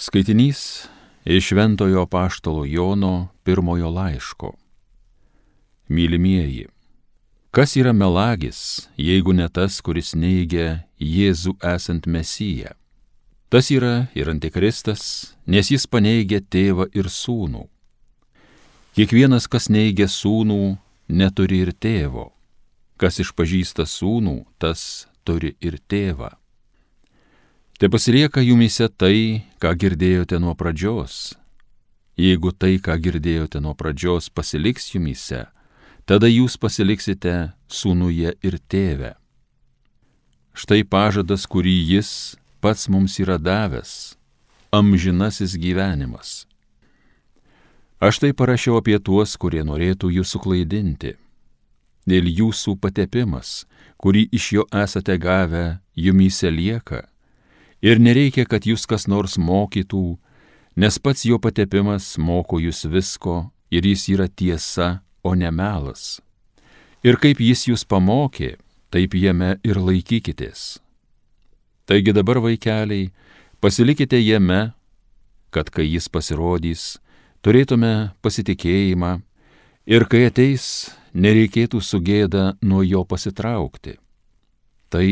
Skaitinys iš Šventojo apaštalo Jono pirmojo laiško. Mylimieji, kas yra melagis, jeigu ne tas, kuris neigia Jėzų esant Mesiją? Tas yra ir antikristas, nes jis paneigia tėvą ir sūnų. Kiekvienas, kas neigia sūnų, neturi ir tėvo. Kas išpažįsta sūnų, tas turi ir tėvą. Te pasilieka jumyse tai, ką girdėjote nuo pradžios. Jeigu tai, ką girdėjote nuo pradžios, pasiliks jumyse, tada jūs pasiliksite sūnuje ir tėve. Štai pažadas, kurį jis pats mums yra davęs, amžinasis gyvenimas. Aš tai parašiau apie tuos, kurie norėtų jūs suklaidinti. Dėl jūsų patepimas, kurį iš jo esate gavę, jumyse lieka. Ir nereikia, kad jūs kas nors mokytų, nes pats jo patepimas moko jūs visko ir jis yra tiesa, o ne melas. Ir kaip jis jūs pamokė, taip jame ir laikykitės. Taigi dabar, vaikeliai, pasilikite jame, kad kai jis pasirodys, turėtume pasitikėjimą ir kai ateis, nereikėtų su gėda nuo jo pasitraukti. Tai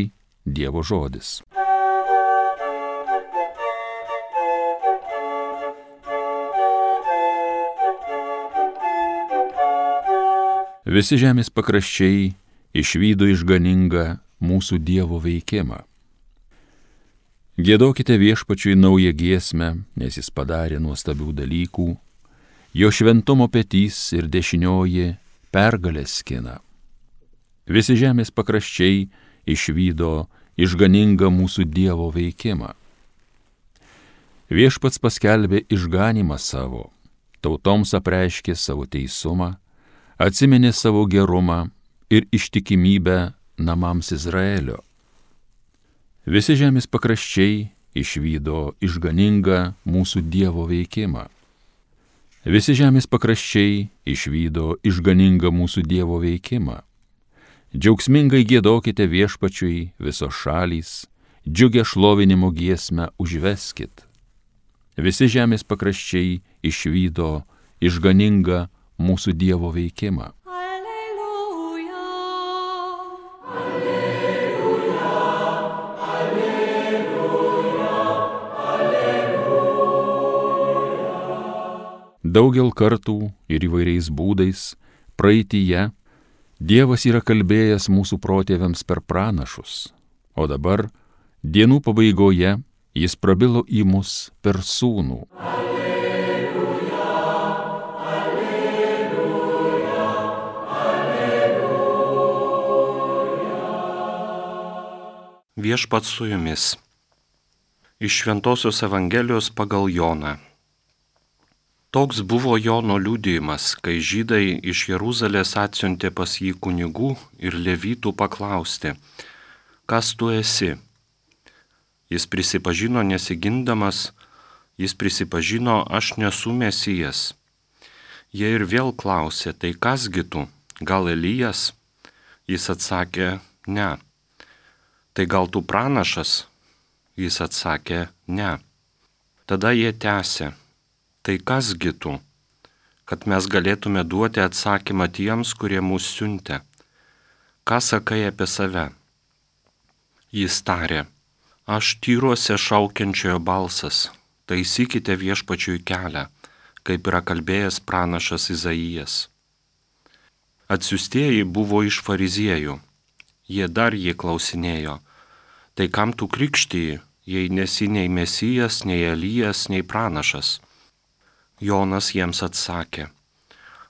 Dievo žodis. Visi žemės pakraščiai išvydo išganingą mūsų Dievo veikimą. Giedokite Viešpačiui naują giesmę, nes jis padarė nuostabių dalykų, jo šventumo petys ir dešinioji pergalę skina. Visi žemės pakraščiai išvydo išganingą mūsų Dievo veikimą. Viešpats paskelbė išganymą savo, tautoms apreiškė savo teisumą, atsiminė savo gerumą ir ištikimybę namams Izraelio. Visi žemės pakraščiai išvydo išganingą mūsų Dievo veikimą. Visi žemės pakraščiai išvydo išganingą mūsų Dievo veikimą. Džiaugsmingai giedokite Viešpačiui visos šalys, džiugią šlovinimo giesmę užveskit. Visi žemės pakraščiai išvydo išganingą mūsų Dievo veikimą. Alleluja, alleluja, alleluja, alleluja. Daugel kartų ir įvairiais būdais praeityje Dievas yra kalbėjęs mūsų protėviams per pranašus, o dabar, dienų pabaigoje, jis prabilo į mus per sūnų. Viešpats su jumis. Iš Šventosios Evangelijos pagal Joną. Toks buvo Jono liudijimas, kai žydai iš Jeruzalės atsiuntė pas jį kunigų ir levitų paklausti, kas tu esi? Jis prisipažino nesigindamas, jis prisipažino, aš nesu Mesijas. Jie ir vėl klausė, tai kasgi tu, gal Elijas? Jis atsakė, ne. Tai gal tu pranašas? Jis atsakė, ne. Tada jie tęsė, tai kasgi tu, kad mes galėtume duoti atsakymą tiems, kurie mus siuntė. Ką sakai apie save? Jis tarė, aš tyruose šaukiančiojo balsas, taisykite Viešpačiui kelią, kaip yra kalbėjęs pranašas Izaijas. Atsiųstieji buvo iš fariziejų, jie dar jį klausinėjo, tai kam tu krikštiji, jei nesi nei Mesijas, nei Elijas, nei pranašas? Jonas jiems atsakė,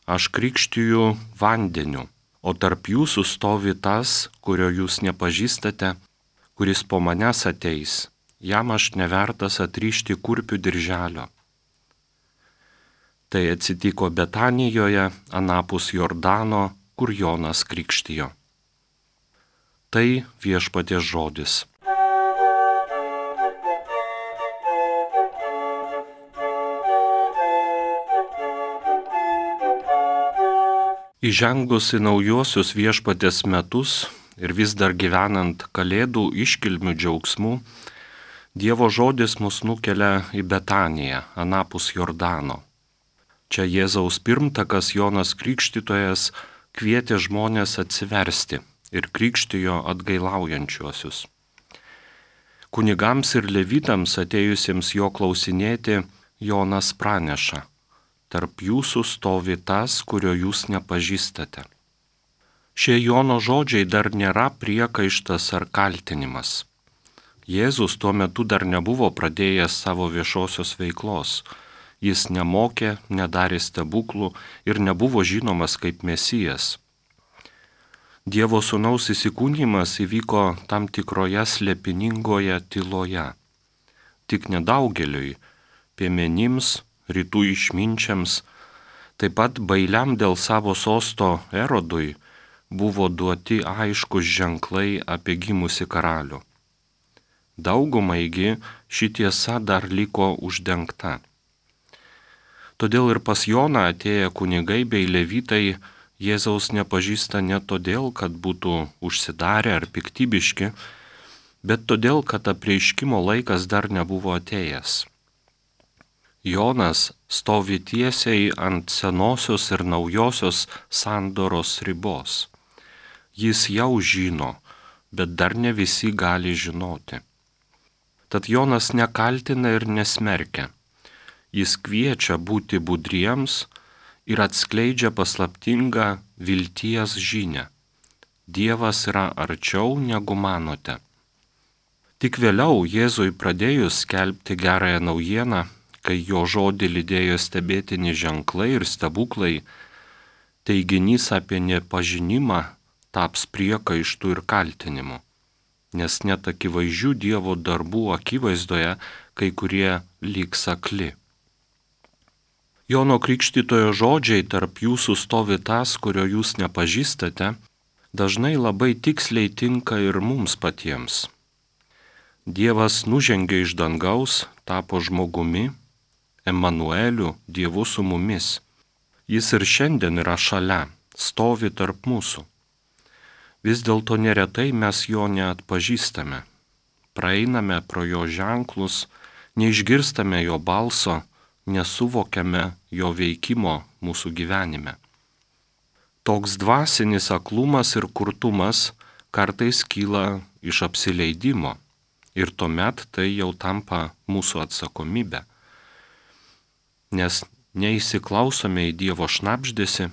aš krikštiju vandeniu, o tarp jūsų stovi tas, kurio jūs nepažįstate, kuris po manęs ateis, jam aš nevertas atrišti kurpių dirželio. Tai atsitiko Betanijoje, anapus Jordano, kur Jonas krikštijo. Tai Viešpaties žodis. Įžengus į naujuosius Viešpaties metus ir vis dar gyvenant Kalėdų iškilmių džiaugsmu, Dievo žodis mus nukelia į Betaniją, anapus Jordano. Čia Jėzaus pirmtakas Jonas Krikštytojas kvietė žmonės atsiversti ir krikštijo atgailaujančiuosius. Kunigams ir levitams atėjusiems jo klausinėti, Jonas praneša: tarp jūsų stovi tas, kurio jūs nepažįstate. Šie Jono žodžiai dar nėra priekaištas ar kaltinimas. Jėzus tuo metu dar nebuvo pradėjęs savo viešosios veiklos. Jis nemokė, nedarė stebuklų ir nebuvo žinomas kaip Mesijas. Dievo sūnaus įsikūnijimas įvyko tam tikroje slėpiningoje tyloje. Tik nedaugeliui, piemenims, rytų išminčiams, taip pat bailiam dėl savo sosto Erodui buvo duoti aiškus ženklai apie gimusi karalių. Daugumaigi ši tiesa dar liko uždengta. Todėl ir pas Joną atėję kunigai bei levitai Jėzaus nepažįsta ne todėl, kad būtų užsidarę ar piktybiški, bet todėl, kad apreiškimo laikas dar nebuvo atėjęs. Jonas stovi tiesiai ant senosios ir naujosios sandoros ribos. Jis jau žino, bet dar ne visi gali žinoti. Tad Jonas nekaltina ir nesmerkia. Jis kviečia būti budriems ir atskleidžia paslaptingą vilties žinią. Dievas yra arčiau negu manote. Tik vėliau Jėzui pradėjus skelbti gerąją naujieną, kai jo žodį lydėjo stebėtini ženklai ir stebuklai, teiginys apie nepažinimą taps priekaištų ir kaltinimu, nes net akivaizdžių Dievo darbų akivaizdoje kai kurie lyg akli. Jono Krikštytojo žodžiai tarp jūsų stovi tas, kurio jūs nepažįstate, dažnai labai tiksliai tinka ir mums patiems. Dievas nužengė iš dangaus, tapo žmogumi, Emanueliu, Dievu su mumis. Jis ir šiandien yra šalia, stovi tarp mūsų. Vis dėlto neretai mes jo neatpažįstame. Praeiname pro jo ženklus, neišgirstame jo balso, nesuvokiame jo veikimo mūsų gyvenime. Toks dvasinis aklumas ir kurtumas kartais kyla iš apsileidimo ir tuomet tai jau tampa mūsų atsakomybė. Nes neįsiklausome į Dievo šnabždesį,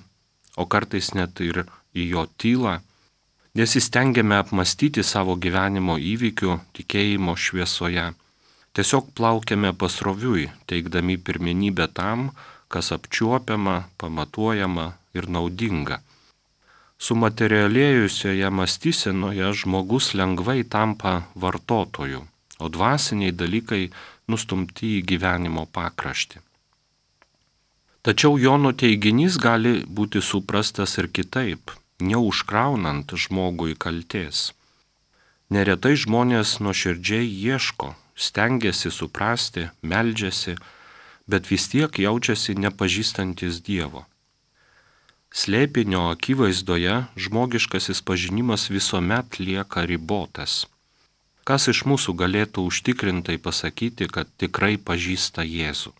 o kartais net ir į jo tylą, nesistengiame apmastyti savo gyvenimo įvykių tikėjimo šviesoje. Tiesiog plaukiame pasroviui, teikdami pirmenybę tam, kas apčiuopiama, pamatuojama ir naudinga. Sumaterialėjusioje mąstysenoje žmogus lengvai tampa vartotoju, o dvasiniai dalykai nustumti į gyvenimo pakraštį. Tačiau Jono teiginys gali būti suprastas ir kitaip, neužkraunant žmogui kaltės. Neretai žmonės nuoširdžiai ieško, stengiasi suprasti, meldžiasi, bet vis tiek jaučiasi nepažįstantis Dievo. Slėpinio akivaizdoje žmogiškasis pažinimas visuomet lieka ribotas. Kas iš mūsų galėtų užtikrintai pasakyti, kad tikrai pažįsta Jėzų?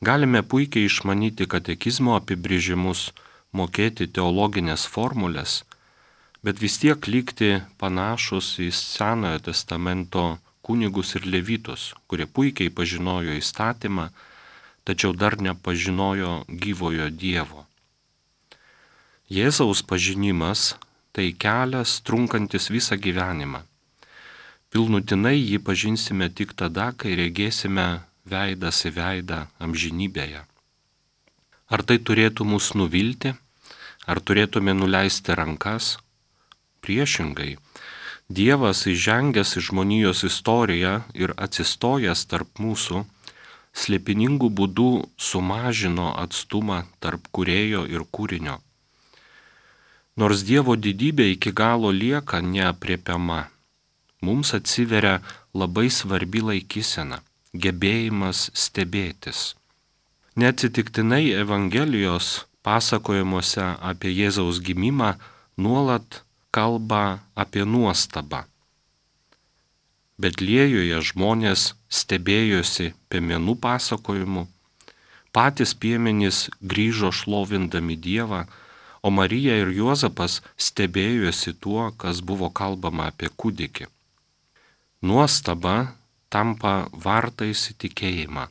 Galime puikiai išmanyti katekizmo apibrėžimus, mokėti teologinės formulės, bet vis tiek likti panašus į Senojo testamento kunigus ir levitus, kurie puikiai pažinojo įstatymą, tačiau dar nepažinojo gyvojo Dievo. Jėzaus pažinimas tai kelias trunkantis visą gyvenimą. Pilnutinai jį pažinsime tik tada, kai regėsime veidas į veidą amžinybėje. Ar tai turėtų mus nuvilti, ar turėtume nuleisti rankas? Priešingai, Dievas įžengęs į žmonijos istoriją ir atsistojęs tarp mūsų, slėpiningų būdų sumažino atstumą tarp kūrėjo ir kūrinio. Nors Dievo didybė iki galo lieka neapriepiama, mums atsiveria labai svarbi laikysena, gebėjimas stebėtis. Neatsitiktinai Evangelijos pasakojimuose apie Jėzaus gimimą nuolat kalba apie nuostabą. Betliejoje žmonės stebėjosi piemenų pasakojimu, patys piemenys grįžo šlovindami Dievą, o Marija ir Juozapas stebėjosi tuo, kas buvo kalbama apie kūdikį. Nuostaba tampa vartais į tikėjimą.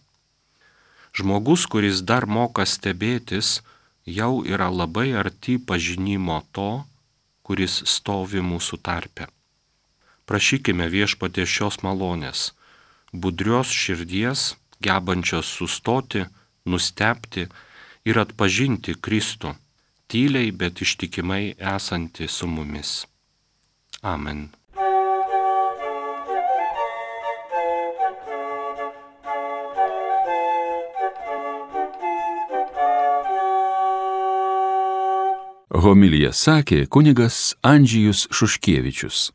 Žmogus, kuris dar moka stebėtis, jau yra labai arti pažinimo to, kuris stovi mūsų tarpe. Prašykime Viešpaties šios malonės, budrios širdies, gebančios sustoti, nustebti ir atpažinti Kristų, tyliai, bet ištikimai esantį su mumis. Amen. Homiliją sakė kunigas Andžejus Šuškevičius.